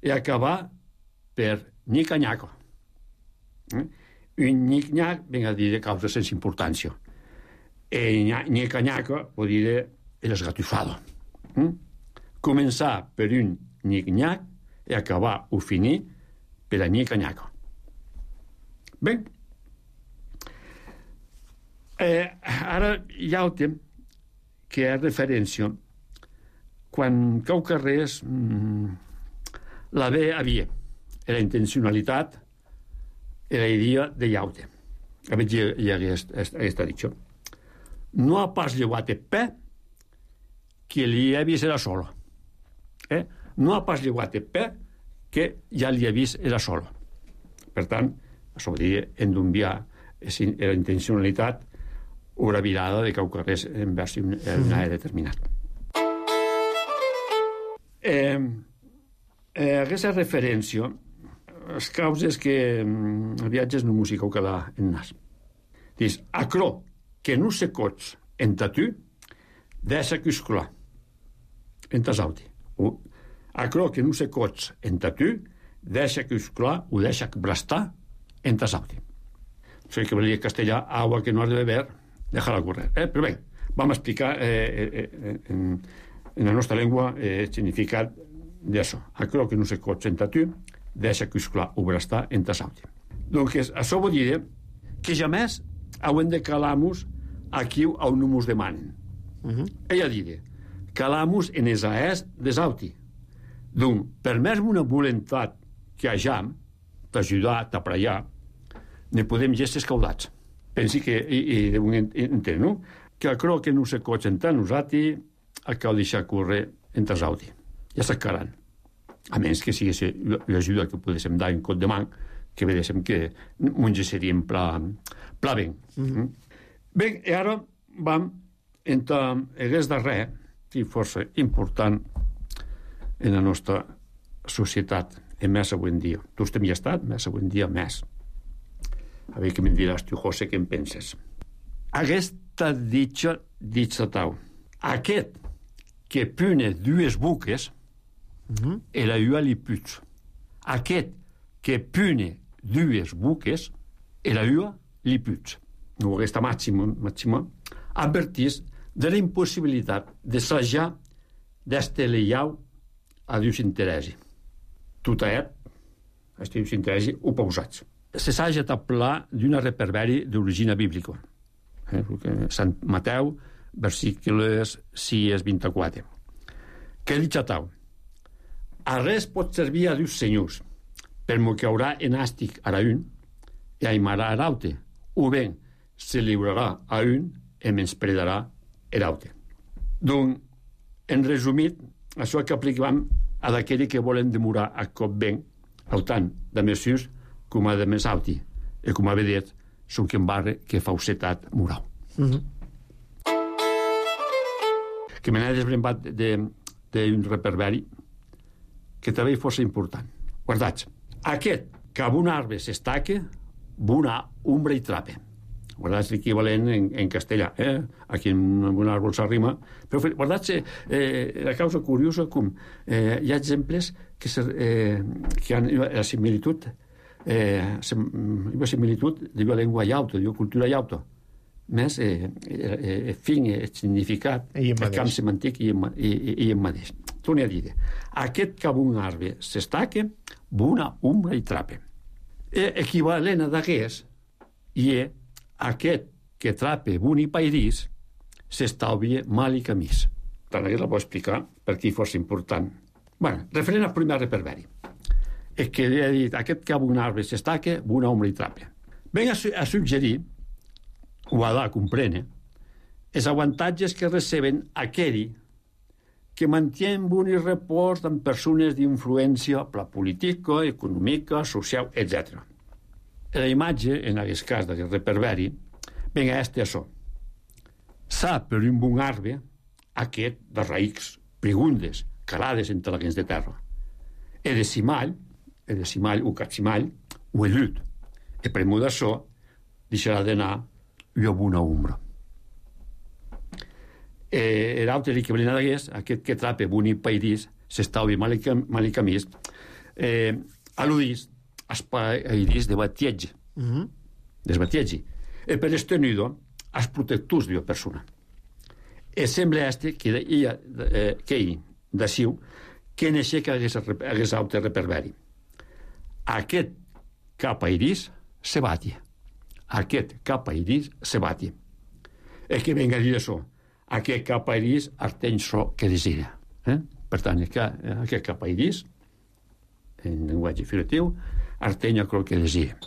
i acabar per nic-nyaco. Un nic-nyac ven a dir causa sense importància. E nic-nyaco vuol dire el esgatufado. Començar per un nic-nyac i acabar o finir per a nic-nyaco. Bé, ara hi ha el temps que és referència quan cau carrers la ve havia la intencionalitat e la idea de llaute. A veure, hi ha aquesta dicho. No ha pas llevat pe que li ha vist era solo. No ha pas llevat pe que ja li ha vist era solo. Per tant, això vol dir endombiar la intencionalitat o la virada de cau carrers envers una determinat. Aquesta referència les causes que viatges no música o quedar en nas. Dius, acro que no se cots en tatu deixa cuscular en tasauti. Acro que no se cots en tatu deixa cuscular o deixa brastar en tasauti. Això que volia castellà, agua que no has de beber, déjala correr. Però bé, vam explicar en la nostra llengua el significat d'això. Acro que no se cots en tatu deixa cuscular o brastar en tasauti. Doncs això vol dir que jamés haurem de calar-nos aquí on no ens demanen. Ella diré, calar-nos en els aers desauti. Doncs, per més una voluntat que hagam d'ajudar, d'apraiar, ne podem gestes caudats. Pensi que, i deuen entendre, no? Que acro que no se cots en tasauti, el cal deixar córrer en tasauti. Ja s'acaran. A menys que sigui l'ajuda que podéssim dar en cot de man, que vedéssim que ens seríem pla ben. Bé, i ara vam entre hagués de res, i força important en la nostra societat, en més avui en dia. Tu estem ja estat, més avui en dia més. A veure què me'n diràs tu, José, què en penses? Aquesta ditxa tau. Aquest que pune dues buques e la ua li puig. Aquest que pune dues buques e la ua li puig. No, aquesta màxima advertís de la impossibilitat de sajar d'esteleiau a Dius interesi. Tot aquest, a Dius interesi, ho pausats. Se saja taplar d'una reperberi d'origina bíblica. Sant Mateu, versículos 6-24. Què dic a tau? A res pot servir a Dius senyors, per mo que haurà en àstic a un i aimarà a l'aute, o ben se liurarà a un i menyspredarà a l'aute. Doncs, en resumit, això que aplicam a d'aquells que volen demorar a cop ben, autant de mesures com a de més auti, i com a vedet, són que en barre que fausetat moral. Que me n'he desbrembat d'un reperberi que també fos important. Guardats. Aquest que amb un arbre s'estaque, una ombra i trape. Guardats l'equivalent en castellà. Aquí en un arbre s'arrima. Però guardats la causa curiosa com hi ha exemples que han la similitud de la llengua llauta, de la cultura llauta. Més fin, el significat, el camp semàntic i en mateix. Torni a dir, aquest que amb un arbre s'estaque, una ombra i trape. Equivalent a d'aquest, i aquest que trape un i pairís, s'estalvia mal i camís. Tant aquest la puc explicar per qui fos important. Bé, referent al primer reperberi. És que he dit, aquest que amb un arbre s'estaque, una ombra i trape. Venga a suggerir, o a dar a comprendre, els avantatges que receben aquells que mantien un repòs amb persones d'influència política, econòmica, social, etc. La imatge, en aquest cas d'aquest reperberi, venga això. S'ha per un bon arbre, aquest de raïcs pregundes, calades entre la gens de terra. E de cimall, o capcimall, o el llut. E premu d'açò, deixarà d'anar llop una ombra. L'altre que venien d'aguest, aquest que trape boni pairís, s'estava malicamís, al·ludís als pairís de batietge. Desbatietge. E per estenido, als protectors de la persona. E sembla que ell, d'aciu, que neixer que hagués altre reperberi. Aquest cap a iris se batia. Aquest cap a iris se batia. E que venga a dir això. Aquest cap a iris arteny so que desira. Per tant, aquest cap a iris, en llenguatge figuratiu, arteny el que desira.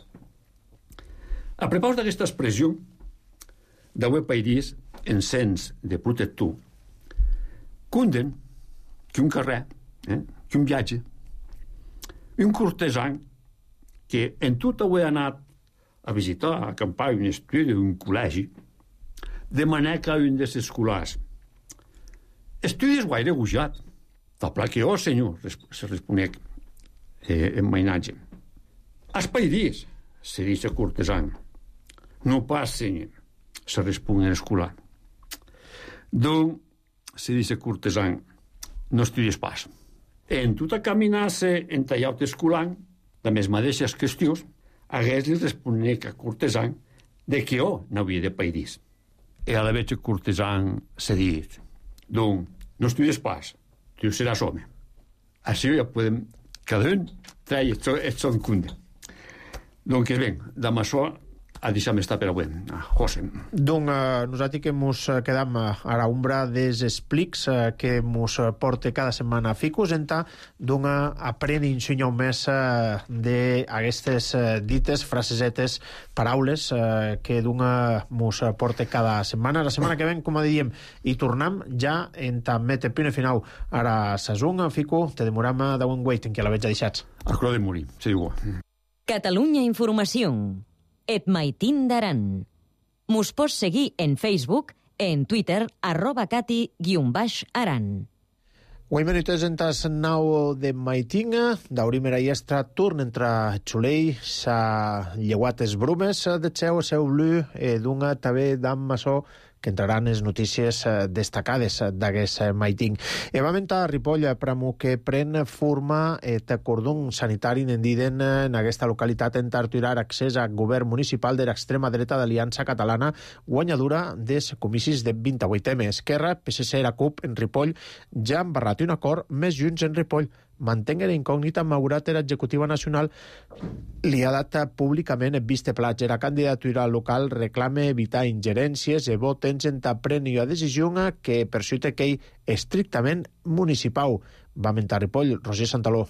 A propòsit d'aquesta expressió, d'avui pairís, en sens de protector, cunden que un carrer, que un viatge, un cortesan que en tot avui ha anat a visitar, a acampar un estudi, un col·legi, de manera que un dels escolars estudis guaire gujat. Tal que senyor, se responec en mainatge. As pairís, se dice cortesan. No pas, senyor, se respon en escolar. Donc, se dice cortesan, no estudies pas. En tota caminar-se en tallat escolant, de les mateixes qüestions, hagués li responec a cortesan de que n'havia de pairís. E a la vegada cortesan se dit, donc, no estudies pas, tu seràs home. Així ja podem, cada un treia el son cunde. Donc, ben, damb això, a deixar estar per avui, José. Donc, nosaltres que ens quedam a l'ombra dels explics que ens porta cada setmana Ficus, donc aprendre i ensenyar més d'aquestes dites, frasesetes, paraules que ens porta cada setmana. La setmana que ven, com diem, i tornem ja en també te pune final a la saison, Fico, te demoram d'un waiting, que la veig deixats. A cro de morir, sí, igual. Catalunya Informació. Et Maitín d'Aran. Mos pots seguir en Facebook, en Twitter, @cati_aran. Avui minutos entas nau de Maitinga, d'aurim era iestra turn entre Xulei, sa lleuates brumes de seu blu, d'una també d'am maçó que entraran les notícies destacades d'aquest Maiting. Vam entrar a Ripoll, pramo que pren forma et cordon sanitari n'endiden en aquesta localitat en Tarturar accés a govern municipal de l'extrema dreta d'Aliança Catalana, guanyadura des comicis de 28M. Esquerra, PSC i la CUP en Ripoll ja han barrat un acord més junts en Ripoll. Mantenguer incògnita, malgrat l'executiva nacional li ha dat públicament viste plats. La candidatura local reclama evitar ingerències i votens en prendre una decisió que per suite que estrictament municipal. Va mentar Ripoll, Roger Santaló.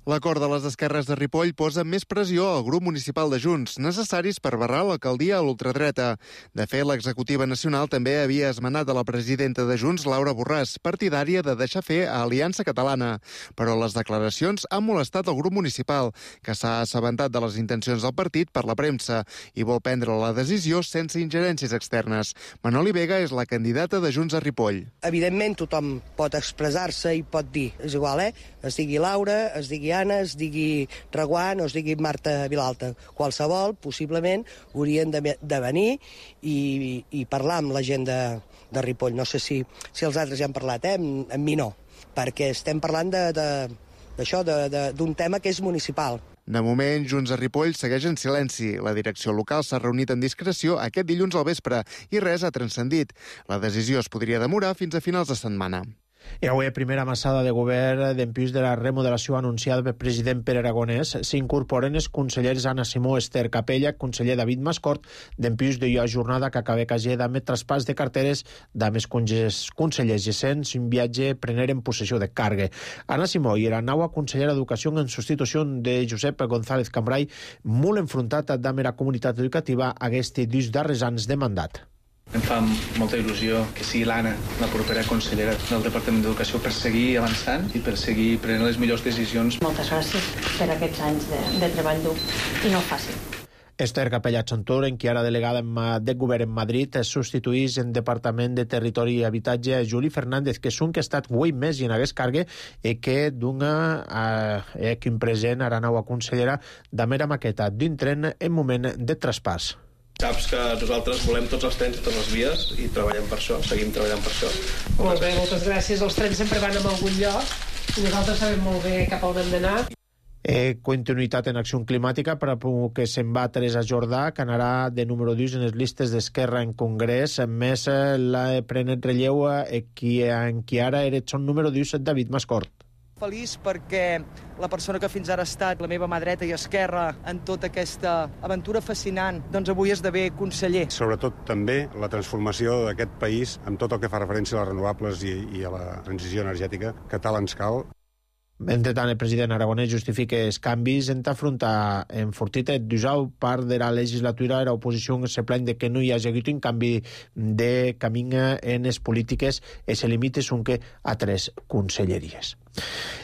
L'acord de les esquerres de Ripoll posa més pressió al grup municipal de Junts, necessaris per barrar l'alcaldia a l'ultradreta. De fet, l'executiva nacional també havia esmenat a la presidenta de Junts, Laura Borràs, partidària de deixar fer a Aliança Catalana. Però les declaracions han molestat el grup municipal, que s'ha assabentat de les intencions del partit per la premsa i vol prendre la decisió sense ingerències externes. Manoli Vega és la candidata de Junts a Ripoll. Evidentment, tothom pot expressar-se i pot dir, és igual, es digui Laura, es digui Anna, es digui Reguant o es digui Marta Vilalta. Qualsevol, possiblement, haurien de venir i parlar amb la gent de Ripoll. No sé si els altres ja han parlat, amb mi no, perquè estem parlant d'això, d'un tema que és municipal. De moment, Junts a Ripoll segueix en silenci. La direcció local s'ha reunit en discreció aquest dilluns al vespre i res ha transcendit. La decisió es podria demorar fins a finals de setmana. I avui, primera massada de govern d'empius de la remodelació anunciada pel president Pere Aragonès, s'incorporen els consellers Anna Simó, Esther Capella, conseller David Mascort, d'empius de la jornada que acaba cagé d'ame traspàs de carteres d'ame consellers gesents un viatge preneren possessió de càrrega. Anna Simó i la nova consellera d'Educació en substitució de Josep González Cambrai, molt enfrontat d'ame la comunitat educativa aquest dos darrers anys de mandat. Em fa molta il·lusió que sigui l'Anna la propera consellera del Departament d'Educació per seguir avançant i per seguir prenent les millors decisions. Moltes gràcies per aquests anys de treball dur i no fàcil. Esther Capella-Chantur, en qui ara delegada de govern en Madrid, substituís en Departament de Territori i Habitatge Juli Fernández, que és un que ha estat 8 mesos i en hagués cargue i que d'una que present ara nova consellera de mera maqueta d'un tren en moment de traspàs. Saps que nosaltres volem tots els trens i totes les vies i treballem per això, seguim treballant per això. Molt bé, moltes gràcies. Els trens sempre van a algun lloc i nosaltres sabem molt bé cap a on hem d'anar. Continuïtat en acció climàtica per a que se'n va Teresa Jordà, que anarà de número 2 en les llistes d'Esquerra en Congrés. Més la prenet relleu en qui ara era son número 2 David Mascort. Feliç perquè la persona que fins ara ha estat la meva mà dreta i esquerra en tota aquesta aventura fascinant, doncs avui esdevé conseller. Sobretot també la transformació d'aquest país amb tot el que fa referència a les renovables i a la transició energètica que tal ens cal. Entretant, el president aragonès justifica els canvis en afrontar enfortit d'usar part de la legislatura la oposició se plany de que no hi hagi hagut un canvi de camí en les polítiques i se limita que a 3 conselleries.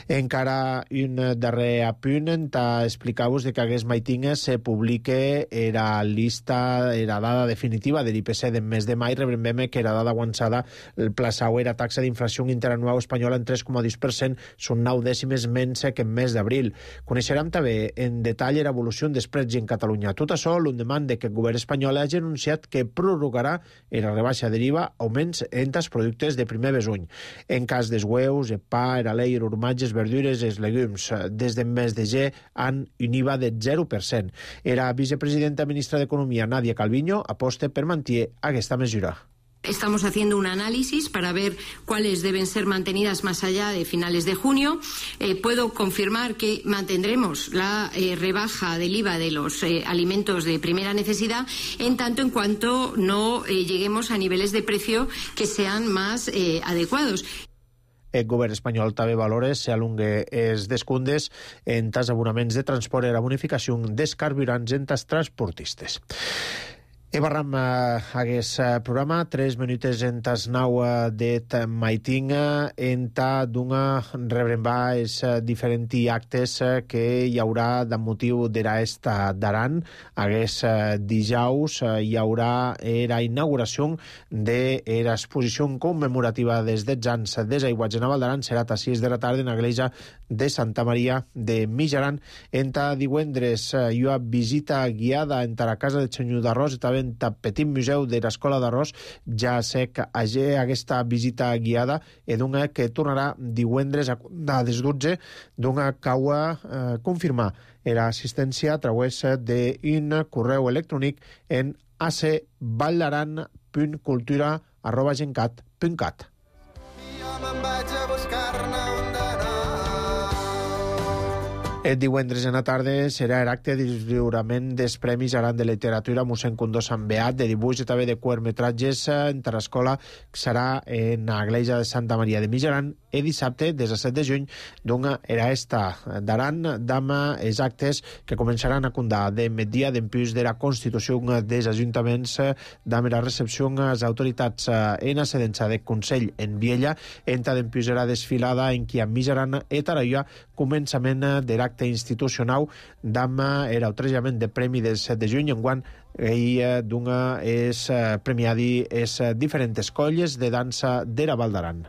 Encara un darrer apunt explicar-vos que aquest matinga se publica la lista, la dada definitiva de l'IPC del mes de maig. Rebrem que la dada avançada el plaçau era taxa d'inflació interanual espanyola en 3,2%, són 9 dècimes menys que en mes d'abril. Coneixerem també en detall l'evolució dels preus en Catalunya. Tot això l'endemà que el govern espanyol hagi anunciat que prorrogarà la rebaixa de l'IVA augments en els productes de primer besuny. En cas dels hueus, el pa, el alei, formatges, verdures i els legumes. Des del mes de gener han un IVA de 0%. La vicepresidenta ministra d'Economia, Nadia Calviño, aposta per mantenir aquesta mesura. Estamos haciendo un análisis para ver cuáles deben ser mantenidas más allá de finales de junio. Puedo confirmar que mantendremos la rebaja del IVA de los alimentos de primera necesidad en tanto en cuanto no lleguemos a niveles de precio que sean más adecuados. El govern espanyol també valora si alungue els descomptes en els abonaments de transport i la bonificació dels carburants en els transportistes. Barram aquest programa, 3 minuts en tas 9 de maitinga, en ta d'una rebrembar els diferents actes que hi haurà de motiu d'esta d'Aran. Aquest dijous hi haurà la inauguració de l'exposició commemorativa dels 10 anys dels aiguats de Naval d'Aran. Serà a 6 de la tarda en l'església de Santa Maria de Mijaran. En ta divendres hi ha visita guiada en la casa de Senyor d'Arròs i també en el petit museu de l'Escola d'Arròs. Ja sé que aquesta visita guiada és una que tornarà divendres a les 12 d'una cau confirmar l'assistència a través d'un correu electrònic en acvallaran.cultura@gencat.cat. Jo me'n vaig a buscar-ne un d'anar. El divendres en la tarda serà l'acte de lliurament dels Premis Aran de Literatura mossèn Condó Sant Beat, de dibuix i també de curtmetratges en l'escola, que serà en l'església de Santa Maria de Mijaran el dissabte, 17 de juny, d'una era esta d'Aran, d'ama els actes que començaran a condar de migdia d'empús de la Constitució dels Ajuntaments, d'ama la recepció a les autoritats en la sedència de Consell en Viella, enta d'empús la desfilada en qui a Mijaran i Taraia, començament de l'acte institucional d'amb l'autorejament de premi del 7 de juny, enguant d'una és premiadi les diferents colles de dansa de la Val d'Aran.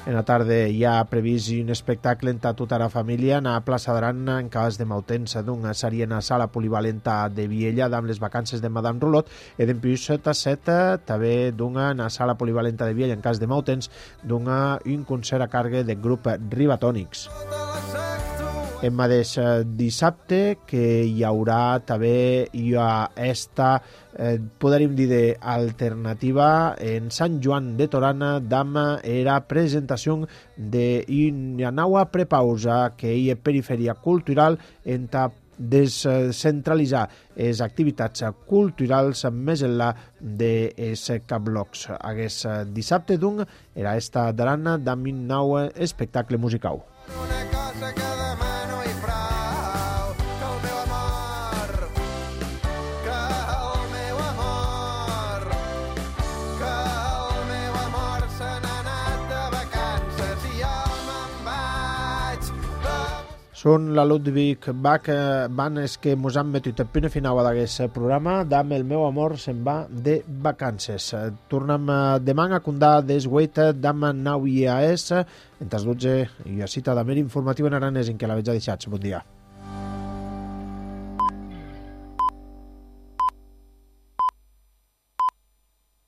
En la tarda hi ha previst un espectacle en tota la família a la plaça d'Aran en cas de Mautens d'una sèrie en la sala polivalenta de Viella amb les vacances de Madame Roulotte i d'empús Tasseta també d'una en la sala polivalenta de Viella en cas de Mautens d'una un concert a càrrec del grup Ribatònics. El mateix dissabte que hi haurà també esta podríem dir d'alternativa en Sant Joan de Torana d'ama era presentació d'una nova prepausa que hi ha perifèria cultural en descentralitzar les activitats culturals més enllà dels cablocs. Aquest dissabte, doncs, era esta d'Arana amb un nou espectacle musical. Una cosa que demano i prou, que el meu amor, que el meu amor se n'ha anat. Són la Ludwig Bach Bandes que mos han metut el punt final d'aquest programa. Dame el meu amor se'n va de vacances. Tornem demà a condar des Weita Dama Nau IAS entre les 12 i a cita d'Amer informatiu en aranès en què la veig a deixats. Bon dia.